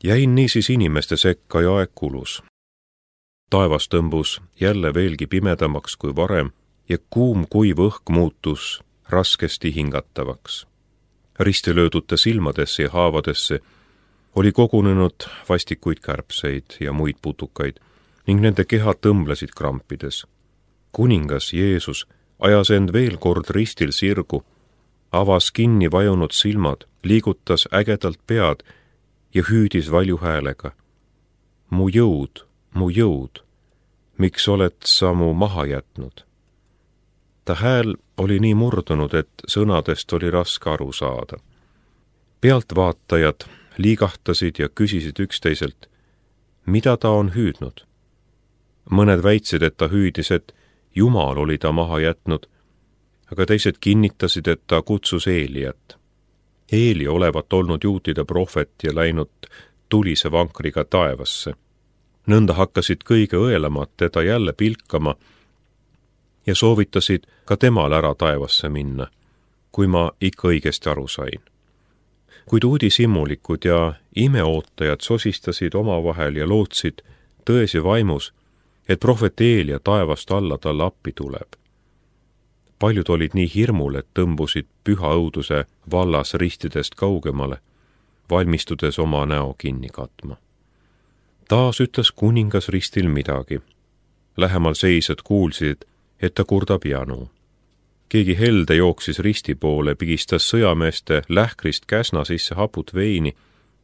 Jäin niisiis inimeste sekka ja aeg kulus. Taevas tõmbus jälle veelgi pimedamaks kui varem ja kuum kuiv õhk muutus raskesti hingatavaks. Ristilöödute silmadesse ja haavadesse oli kogunenud vastikuid kärbseid ja muid putukaid ning nende kehad tõmblesid krampides. Kuningas Jeesus ajas end veel kord ristil sirgu, avas kinni vajunud silmad, liigutas ägedalt pead ja hüüdis valju häälega. Mu jõud, miks oled sa mu maha jätnud? Ta hääl oli nii murdunud, et sõnadest oli raske aru saada. Pealtvaatajad liigahtasid ja küsisid üksteiselt, mida ta on hüüdnud. Mõned väitsid, et ta hüüdis, et Jumal oli ta maha jätnud, aga teised kinnitasid, et ta kutsus Eeliat. Eeli olevat olnud juutide prohvet ja läinud tulise vankriga taevasse. Nõnda hakkasid kõige õelamad teda jälle pilkama ja soovitasid ka temal ära taevasse minna, kui ma ikka õigesti aru sain. Kuid uudishimulikud ja imeootajad sosistasid omavahel ja lootsid tões ja vaimus, et prohvet Eelia taevast alla talle appi tuleb. Paljud olid nii hirmul, et tõmbusid püha õuduse vallas ristidest kaugemale, valmistudes oma näo kinni katma. Taas ütles kuningas ristil midagi. Lähemal seisjad kuulsid, et ta kurdab janu. Keegi helde jooksis risti poole, pigistas sõjameeste lähkrist käsna sisse haput veini,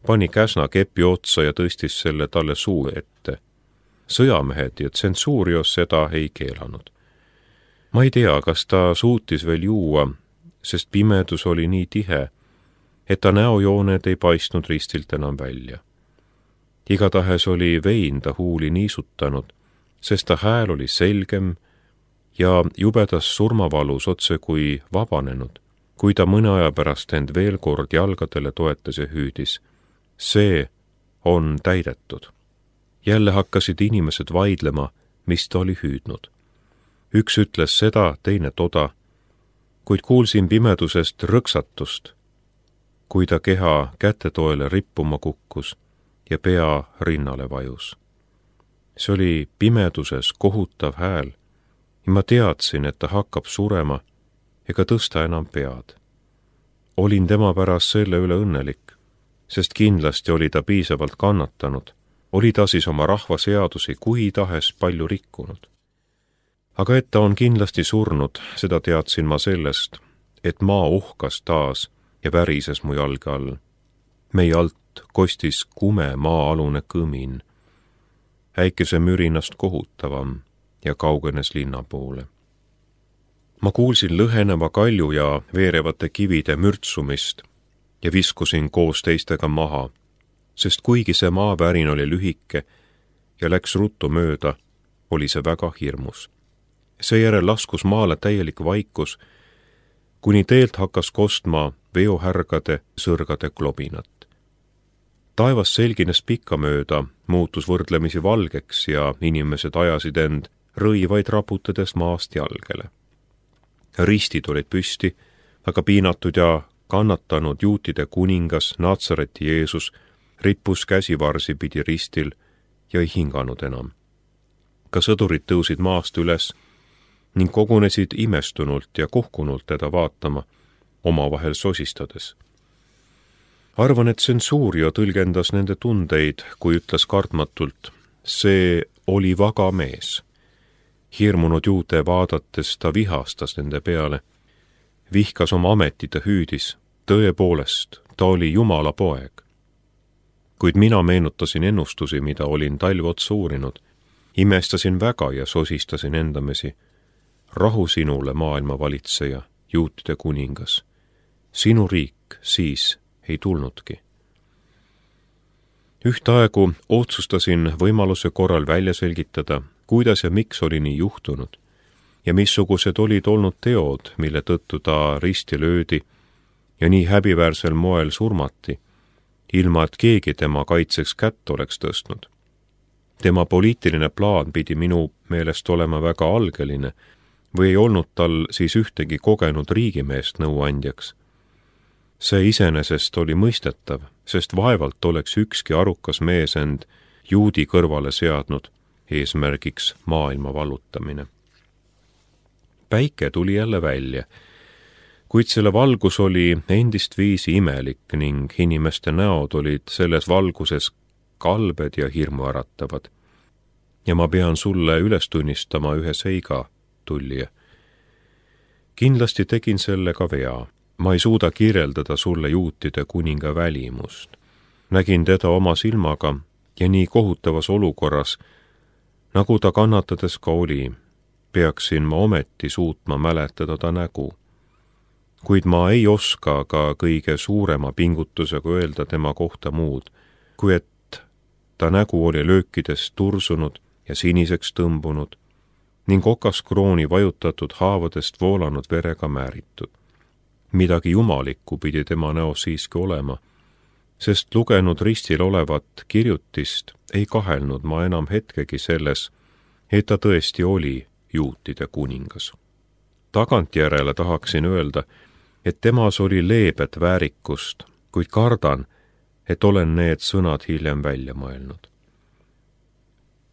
pani käsna kepi otsa ja tõstis selle talle suu ette. Sõjamehed ja tsensuurios seda ei keelanud. Ma ei tea, kas ta suutis veel juua, sest pimedus oli nii tihe, et ta näojooned ei paistnud ristilt enam välja. Igatahes oli vein ta huuli niisutanud, sest ta hääl oli selgem ja jubedas surmavalus otse kui vabanenud, kui ta mõne aja pärast end veel kord jalgadele toetas ja hüüdis. See on täidetud. Jälle hakkasid inimesed vaidlema, mis ta oli hüüdnud. Üks ütles seda, teine toda, kuid kuulsin pimedusest rõksatust, kui ta keha kätetoele rippuma kukkus ja pea rinnale vajus. See oli pimeduses kohutav hääl ja ma teadsin, et ta hakkab surema ega tõsta enam pead. Olin tema pärast selle üle õnnelik, sest kindlasti oli ta piisavalt kannatanud, oli ta siis oma rahva seadusi kui tahes palju rikkunud. Aga et ta on kindlasti surnud, seda teadsin ma sellest, et maa uhkas taas ja värises mu jalge all. Meie alt kostis kume maa-alune kõmin, äikese mürinast kohutavam ja kaugenes linna poole. Ma kuulsin lõheneva kalju ja veerevate kivide mürtsumist ja viskusin koos teistega maha, sest kuigi see maavärin oli lühike ja läks ruttu mööda, oli see väga hirmus. Seejärel laskus maale täielik vaikus, kuni teelt hakkas kostma veohärgade sõrgade klobinat. Taevas selgines pikkamööda, muutus võrdlemisi valgeks ja inimesed ajasid end rõivaid raputades maast jalgele. Ristid olid püsti, aga piinatud ja kannatanud juutide kuningas Natsareti Jeesus rippus käsivarsi pidi ristil ja ei hinganud enam. Ka sõdurid tõusid maast üles ning kogunesid imestunult ja kohkunult teda vaatama, omavahel sosistades. Arvan, et tsensuurio tõlgendas nende tundeid, kui ütles kartmatult, see oli vaga mees. Hirmunud juute vaadates ta vihastas nende peale, vihkas oma ametit ja hüüdis, tõepoolest, ta oli Jumala poeg. Kuid mina meenutasin ennustusi, mida olin talv otsa uurinud, imestasin väga ja sosistasin endamesi. Rahu sinule, maailma valitseja, juutide kuningas. Sinu riik siis ei tulnudki. Ühtaegu otsustasin võimaluse korral välja selgitada, kuidas ja miks oli nii juhtunud ja missugused olid olnud teod, mille tõttu ta risti löödi ja nii häbiväärsel moel surmati, ilma et keegi tema kaitseks kätt oleks tõstnud. Tema poliitiline plaan pidi minu meelest olema väga algeline või ei olnud tal siis ühtegi kogenud riigimeest nõuandjaks. See iseenesest oli mõistetav, sest vaevalt oleks ükski arukas mees end juudi kõrvale seadnud, eesmärgiks maailma vallutamine. Päike tuli jälle välja, kuid selle valgus oli endist viisi imelik ning inimeste näod olid selles valguses kalbed ja hirmuäratavad. Ja ma pean sulle üles tunnistama ühe seiga, tullija. Kindlasti tegin selle ka vea. Ma ei suuda kirjeldada sulle juutide kuninga välimust. Nägin teda oma silmaga ja nii kohutavas olukorras, nagu ta kannatades ka oli, peaksin ma ometi suutma mäletada ta nägu. Kuid ma ei oska ka kõige suurema pingutusega öelda tema kohta muud, kui et ta nägu oli löökidest tursunud ja siniseks tõmbunud ning okaskrooni vajutatud haavadest voolanud verega määritud. Midagi jumalikku pidi tema näos siiski olema, sest lugenud ristil olevat kirjutist ei kahelnud ma enam hetkegi selles, et ta tõesti oli juutide kuningas. Tagantjärele tahaksin öelda, et temas oli leebet väärikust, kuid kardan, et olen need sõnad hiljem välja mõelnud.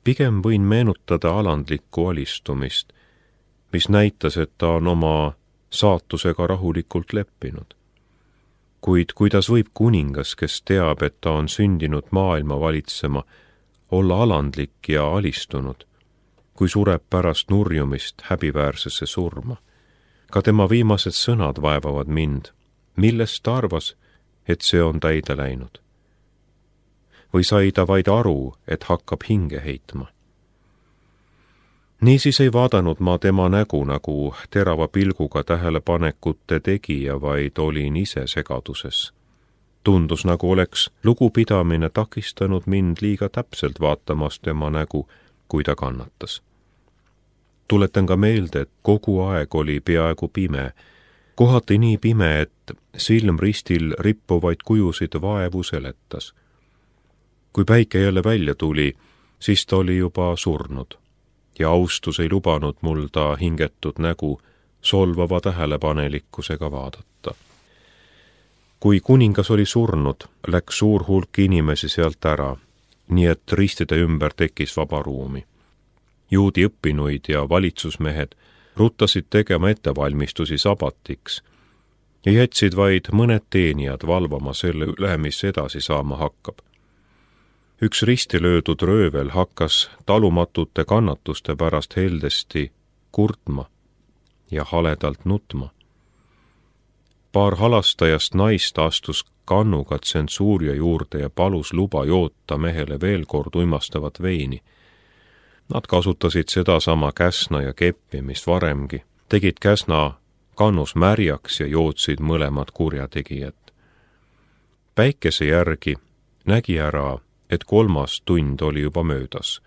Pigem võin meenutada alandlikku alistumist, mis näitas, et ta on oma saatusega rahulikult leppinud. Kuid kuidas võib kuningas, kes teab, et ta on sündinud maailma valitsema, olla alandlik ja alistunud, kui sureb pärast nurjumist häbiväärsesse surma? Ka tema viimased sõnad vaevavad mind, millest ta arvas, et see on täide läinud. Või sai ta vaid aru, et hakkab hinge heitma? Niisiis ei vaadanud ma tema nägu nagu terava pilguga tähelepanekute tegija, vaid olin ise segaduses. Tundus, nagu oleks lugupidamine takistanud mind liiga täpselt vaatamas tema nägu, kui ta kannatas. Tuletan ka meelde, et kogu aeg oli peaaegu pime, kohati nii pime, et silm ristil rippuvaid kujusid vaevu seletas. Kui päike jälle välja tuli, siis ta oli juba surnud ja austus ei lubanud mul ta hingetud nägu solvava tähelepanelikkusega vaadata. Kui kuningas oli surnud, läks suur hulk inimesi sealt ära, nii et ristide ümber tekkis vaba ruumi. Juudi õppinuid ja valitsusmehed ruttasid tegema ettevalmistusi sabatiks ja jätsid vaid mõned teenijad valvama selle üle, mis edasi saama hakkab. Üks risti löödud röövel hakkas talumatute kannatuste pärast heldesti kurtma ja haledalt nutma. Paar halastajast naist astus kannuga tsensuuria juurde ja palus luba joota mehele veel kord uimastavat veini. Nad kasutasid sedasama käsna ja keppi, mis varemgi, tegid käsna kannus märjaks ja jootsid mõlemad kurjategijad. Päikese järgi nägi ära, et 3. tund oli juba möödas.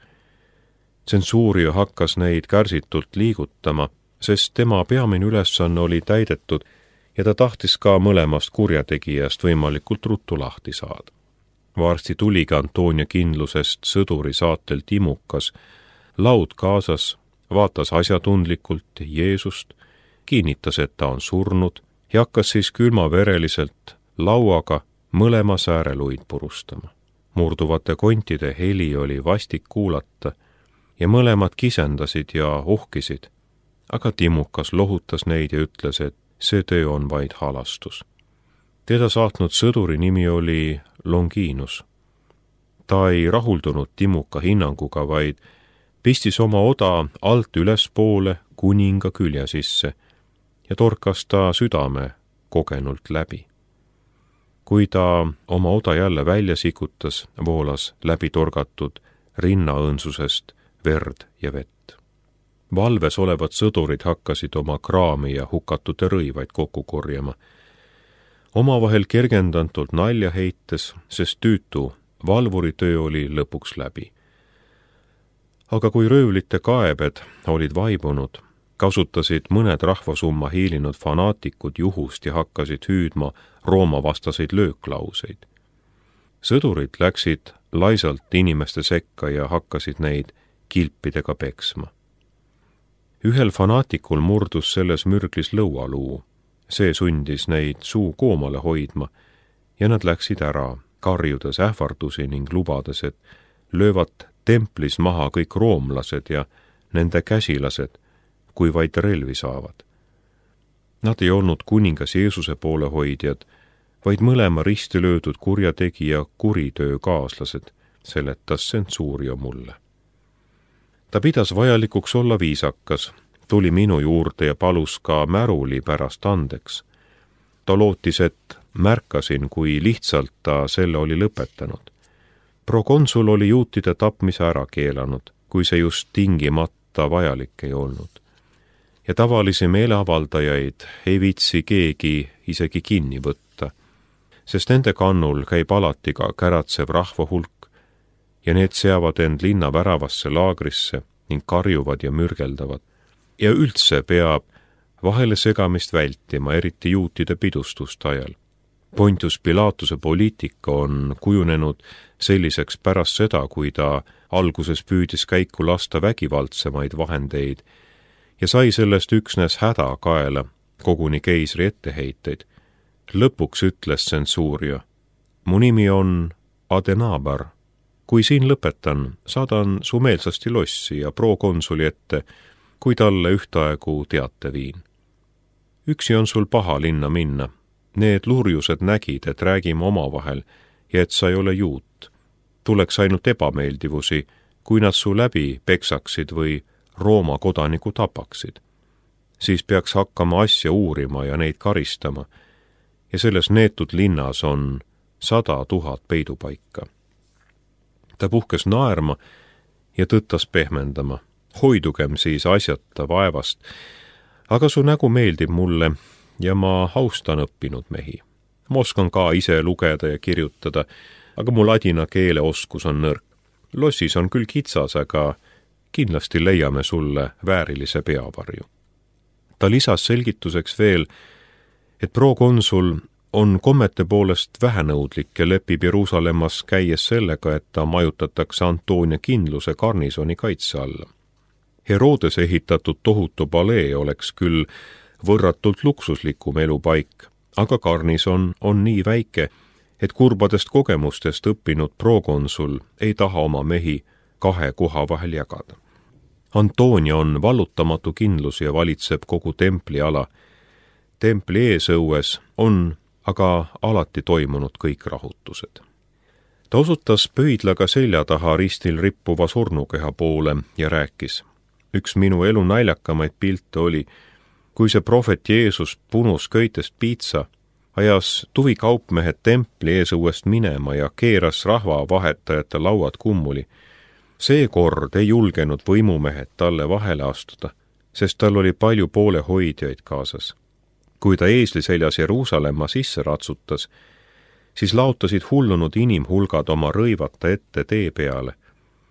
Tsensuuria hakkas neid kärsitult liigutama, sest tema peamine ülesanne oli täidetud ja ta tahtis ka mõlemast kurjategijast võimalikult ruttu lahti saada. Varsti tuligi Antonia kindlusest sõduri saatel Timukas, laud kaasas, vaatas asjatundlikult Jeesust, kinnitas, et ta on surnud ja hakkas siis külmavereliselt lauaga mõlema sääreluid purustama. Murduvate kontide heli oli vastik kuulata ja mõlemad kisendasid ja ohkisid, aga Timukas lohutas neid ja ütles, et see töö on vaid halastus. Teda saatnud sõduri nimi oli Longinus. Ta ei rahuldunud Timuka hinnanguga, vaid pistis oma oda alt ülespoole kuninga külje sisse ja torkas ta südame kogenult läbi. Kui ta oma oda jälle välja sikutas, voolas läbi torgatud rinnaõõnsusest verd ja vett. Valves olevad sõdurid hakkasid oma kraami ja hukatute rõivaid kokku korjama. Omavahel kergendantult nalja heites, sest tüütu valvuritöö oli lõpuks läbi. Aga kui röövlite kaebed olid vaibunud, kasutasid mõned rahvasumma hiilinud fanaatikud juhust ja hakkasid hüüdma Rooma vastaseid lööklauseid. Sõdurid läksid laisalt inimeste sekka ja hakkasid neid kilpidega peksma. Ühel fanaatikul murdus selles mürglis lõualuu. See sundis neid suu koomale hoidma ja nad läksid ära, karjudes ähvardusi ning lubades, et löövad templis maha kõik roomlased ja nende käsilased, kui vaid relvi saavad. Nad ei olnud kuningas Jeesuse poolehoidjad, vaid mõlema risti löödud kurjategija kuritöökaaslased, seletas Centurio mulle. Ta pidas vajalikuks olla viisakas, tuli minu juurde ja palus ka märuli pärast andeks. Ta lootis, et märkasin, kui lihtsalt ta selle oli lõpetanud. Prokonsul oli juutide tapmise ära keelanud, kui see just tingimata vajalik ei olnud. Ja tavalisi meeleavaldajaid ei viitsi keegi isegi kinni võtta, sest nende kannul käib alati ka käratsev rahvahulk ja need seavad end linna väravasse laagrisse ning karjuvad ja mürgeldavad. Ja üldse peab vahele segamist vältima, eriti juutide pidustuste ajal. Pontius Pilatuse poliitika on kujunenud selliseks pärast seda, kui ta alguses püüdis käiku lasta vägivaldsemaid vahendeid ja sai sellest üksnes häda kaela, koguni keisri etteheiteid. Lõpuks ütles Centurio, mu nimi on Adenabar. Kui siin lõpetan, saadan su meelsasti lossi ja prokonsuli ette, kui talle ühtaegu teate viin. Üksi on sul paha linna minna. Need lurjused nägid, et räägime omavahel ja et sa ei ole juut. Tuleks ainult ebameeldivusi, kui nad su läbi peksaksid või Rooma kodaniku tapaksid. Siis peaks hakkama asja uurima ja neid karistama. Ja selles neetud linnas on 100 000 peidupaika. Ta puhkes naerma ja tõttas pehmendama. Hoidugem siis asjata vaevast, aga su nägu meeldib mulle ja ma austan õppinud mehi. Ma oskan ka ise lugeda ja kirjutada, aga mu ladina keele oskus on nõrk. Lossis on küll kitsas, aga kindlasti leiame sulle väärilise peavarju. Ta lisas selgituseks veel, et prokonsul on kommete poolest vähenõudlik ja lepib Jeruusalemmas käies sellega, et ta majutatakse Antoonia kindluse garnisoni kaitse alla. Herodes ehitatud tohutu palee oleks küll võrratult luksuslikum elupaik, aga garnison on nii väike, et kurbadest kogemustest õppinud prokonsul ei taha oma mehi 2 koha vahel jagada. Antoonia on vallutamatu kindlus ja valitseb kogu templiala. Templi eesõues on aga alati toimunud kõik rahutused. Ta osutas pöidlaga selja taha ristil rippuva surnukeha poole ja rääkis. Üks minu elu naljakamaid pilte oli, kui see prohvet Jeesus punus köitest piitsa, ajas tuvikaupmehed templi eesõuest minema ja keeras rahvavahetajate lauad kummuli. Seekord ei julgenud võimumehed talle vahele astuda, sest tal oli palju poolehoidjaid kaasas. Kui ta eesli seljas Jeruusalemma sisse ratsutas, siis laotasid hullunud inimhulgad oma rõivata ette tee peale,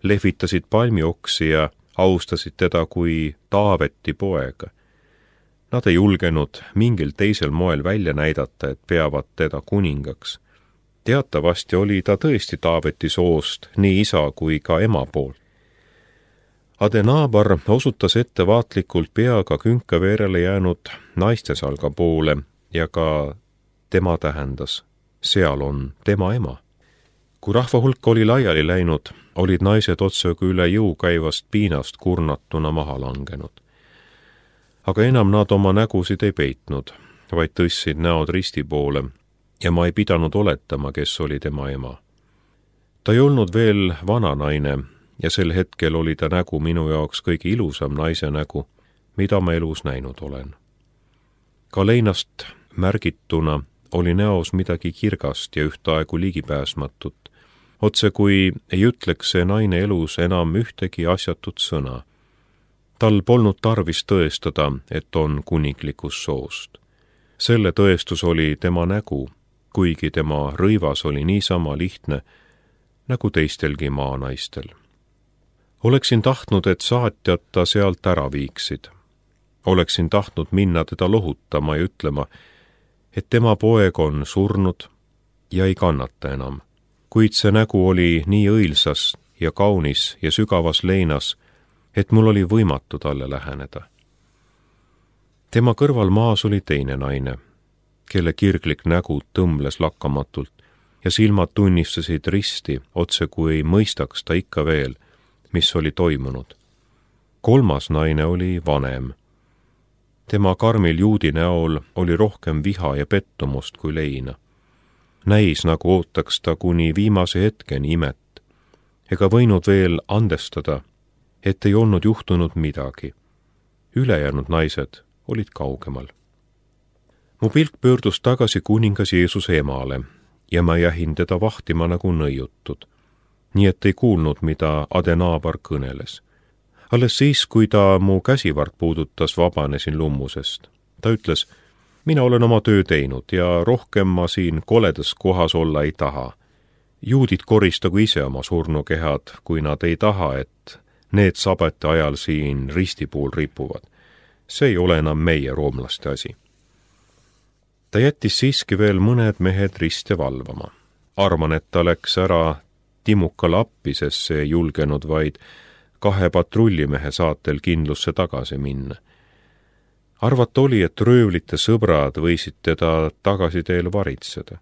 lehvitasid palmioksi ja austasid teda kui Taaveti poega. Nad ei julgenud mingil teisel moel välja näidata, et peavad teda kuningaks. Teatavasti oli ta tõesti Taaveti soost, nii isa kui ka ema poolt. Adenabar osutas ettevaatlikult peaga künkaveerele jäänud naistesalga poole ja ka tema tähendas, seal on tema ema. Kui rahvahulk oli laiali läinud, olid naised otsaga üle jõu käivast piinast kurnatuna maha langenud. Aga enam nad oma nägusid ei peitnud, vaid tõstsid näod risti poole ja ma ei pidanud oletama, kes oli tema ema. Ta ei olnud veel vana naine ja sel hetkel oli ta nägu minu jaoks kõige ilusam naise nägu, mida ma elus näinud olen. Ka leinast märgituna oli näos midagi kirgast ja ühtaegu ligipääsmatut, otse kui ei ütleks see naine elus enam ühtegi asjatut sõna. Tal polnud tarvis tõestada, et on kuninglikust soost. Selle tõestus oli tema nägu, kuigi tema rõivas oli niisama lihtne, nagu teistelgi maanaistel. Oleksin tahtnud, et saatjad ta sealt ära viiksid. Oleksin tahtnud minna teda lohutama ja ütlema, et tema poeg on surnud ja ei kannata enam. Kuid see nägu oli nii õilsas ja kaunis ja sügavas leinas, et mul oli võimatu talle läheneda. Tema kõrval maas oli teine naine, kelle kirglik nägu tõmbles lakkamatult ja silmad tunnistasid risti, otse kui ei mõistaks ta ikka veel, mis oli toimunud. 3. naine oli vanem. Tema karmil juudi näol oli rohkem viha ja pettumust kui leina. Näis, nagu ootaks ta kuni viimase hetkeni imet, ega võinud veel andestada, et ei olnud juhtunud midagi. Ülejäänud naised olid kaugemal. Mu pilk pöördus tagasi kuningas Jeesuse emale ja ma jähin teda vahtima nagu nõiutud, nii et ei kuulnud, mida Adenaabar kõneles. Alles siis, kui ta mu käsivart puudutas, vabanesin lummusest. Ta ütles, mina olen oma töö teinud ja rohkem ma siin koledas kohas olla ei taha. Juudid koristagu ise oma surnukehad, kui nad ei taha, et need sabati ajal siin ristipuul ripuvad. See ei ole enam meie roomlaste asi. Ta jättis siiski veel mõned mehed riste valvama. Arvan, et ta läks ära Timukale appi, sest see ei julgenud vaid 2 patrullimehe saatel kindlusse tagasi minna. Arvata oli, et röövlite sõbrad võisid teda tagasiteel varitseda.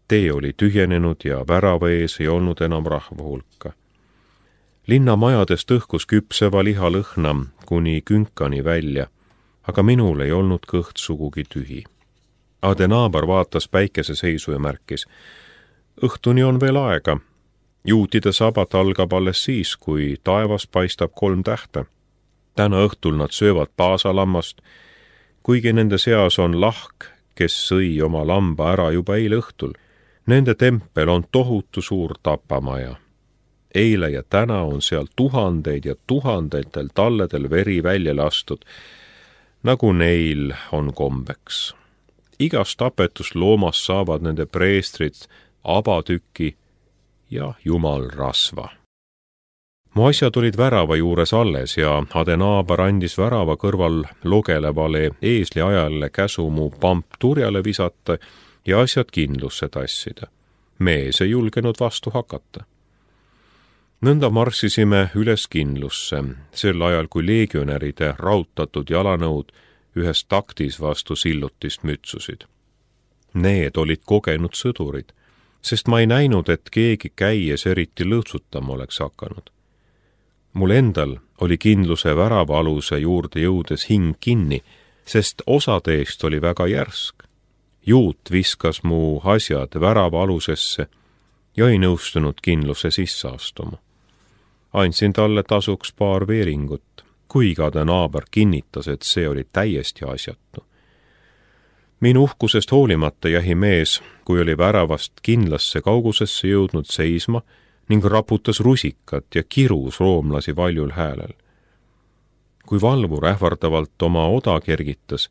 Tee oli tühjenenud ja värava ees ei olnud enam rahva hulka. Linna majadest õhkus küpseva liha lõhna kuni künkani välja, aga minul ei olnud kõht sugugi tühi. Adenaabar vaatas päikeseseisu ja märkis, õhtuni on veel aega. Juutide sabat algab alles siis, kui taevas paistab 3 tähte. Täna õhtul nad söövad paasalammast, kuigi nende seas on lahk, kes sõi oma lamba ära juba eile õhtul. Nende tempel on tohutu suur tapamaja. Eile ja täna on seal tuhandeid ja tuhandetel talledel veri välja lastud, nagu neil on kombeks. Igast tapetust loomast saavad nende preestrid abatüki ja jumalrasva. Mu asjad olid värava juures alles ja Adenaabar andis värava kõrval logelevale eesli ajale käsu mu pamp turjale visata ja asjad kindlusse tassida. Mees ei julgenud vastu hakata. Nõnda marssisime üles kindlusse, sel ajal kui leegionäride rautatud jalanõud ühes taktis vastu sillutist mütsusid. Need olid kogenud sõdurid, sest ma ei näinud, et keegi käies eriti lõõtsutama oleks hakanud. Mul endal oli kindluse värava aluse juurde jõudes hing kinni, sest osade eest oli väga järsk. Juut viskas mu asjad värava alusesse ja ei nõustunud kindluse sisse astuma. Andsin talle tasuks 2 veeringut, kuigi Adenaabar kinnitas, et see oli täiesti asjatu. Minu uhkusest hoolimata jäi mees, kui oli väravast kindlasse kaugusesse jõudnud seisma ning raputas rusikat ja kirus roomlasi valjul häälel. Kui valvur ähvardavalt oma oda kergitas,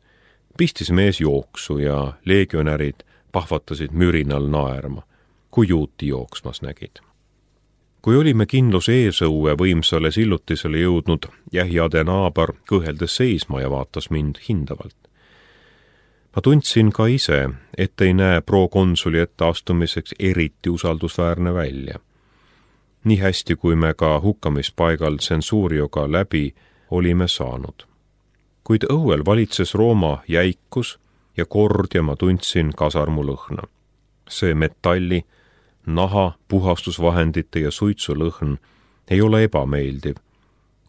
pistis mees jooksu ja leegionärid pahvatasid mürinal naerma, kui juuti jooksmas nägid. Kui olime kindlus eesõue võimsale sillutisele jõudnud, jäi Adenaabar kõheldes seisma ja vaatas mind hindavalt. Ma tundsin ka ise, et ei näe prokonsuli etteastumiseks eriti usaldusväärne välja. Nii hästi, kui me ka hukkamispaigal Tsensurioga läbi olime saanud. Kuid õuel valitses Rooma jäikus ja kord ja ma tundsin kasarmu lõhna. See metalli, naha, puhastusvahendite ja suitsu lõhn ei ole ebameeldiv,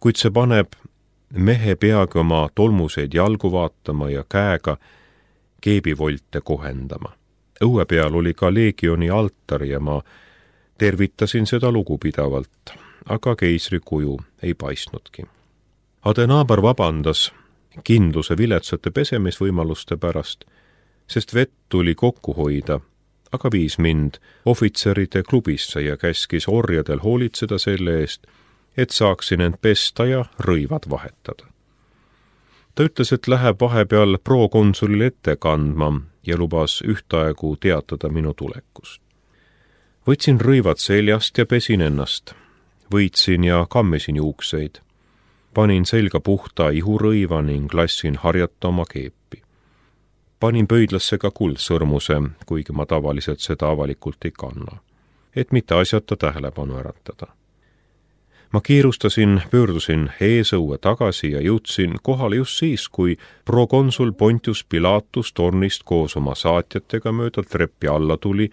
kuid see paneb mehe peagi oma tolmuseid jalgu vaatama ja käega keebivolte kohendama. Õue peal oli ka leegioni altar ja ma tervitasin seda lugupidavalt, aga keisri kuju ei paistnudki. Adenaabar vabandas kindluse viletsate pesemisvõimaluste pärast, sest vett tuli kokku hoida, aga viis mind ohvitseride klubisse ja käskis orjadel hoolitseda selle eest, et saaksin end pesta ja rõivad vahetada. Ta ütles, et läheb vahepeal prokonsulile ette kandma ja lubas ühtaegu teatada minu tulekust. Võtsin rõivad seljast ja pesin ennast. Võitsin ja kammisin juukseid. Panin selga puhta ihurõiva ning lassin harjata oma keepi. Panin pöidlasse ka kuldsõrmuse, kuigi ma tavaliselt seda avalikult ei kanna, et mitte asjata tähelepanu äratada. Ma kiirustasin, pöördusin eesõue tagasi ja jõudsin kohale just siis, kui prokonsul Pontius Pilatus tornist koos oma saatjatega mööda treppi alla tuli,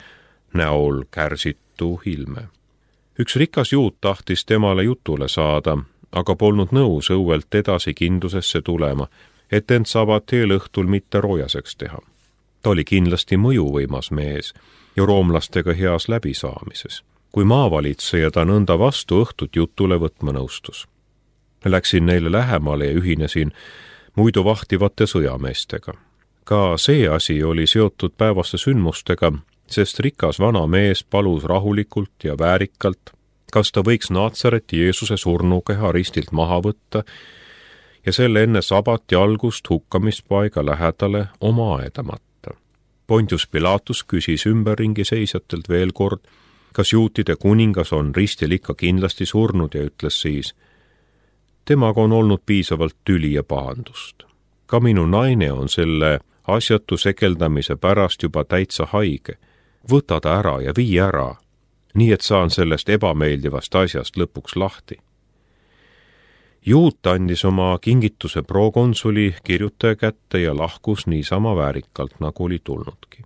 näol kärsitu ilme. Üks rikas juut tahtis temale jutule saada, aga polnud nõus õuelt edasi kindlusesse tulema, et end saavad eelõhtul mitte roojaseks teha. Ta oli kindlasti mõjuvõimas mees ja roomlastega heas läbisaamises. Kui maavalitseja ta nõnda vastu õhtut jutule võtma nõustus. Läksin neile lähemale ja ühinesin muidu vahtivate sõjameestega. Ka see asi oli seotud päevaste sündmustega, sest rikas vana mees palus rahulikult ja väärikalt, kas ta võiks Naatsareti Jeesuse surnukeha ristilt maha võtta ja selle enne sabati algust hukkamispaiga lähedale oma aedamata. Pontius Pilatus küsis ümberringi seisjatelt veel kord, kas juutide kuningas on ristil ikka kindlasti surnud ja ütles siis, temaga on olnud piisavalt tüli ja pahandust. Ka minu naine on selle asjatu sekeldamise pärast juba täitsa haige. Võta ta ära ja vii ära, nii et saan sellest ebameeldivast asjast lõpuks lahti. Juut andis oma kingituse prokonsuli kirjutaja kätte ja lahkus niisama väärikalt, nagu oli tulnudki.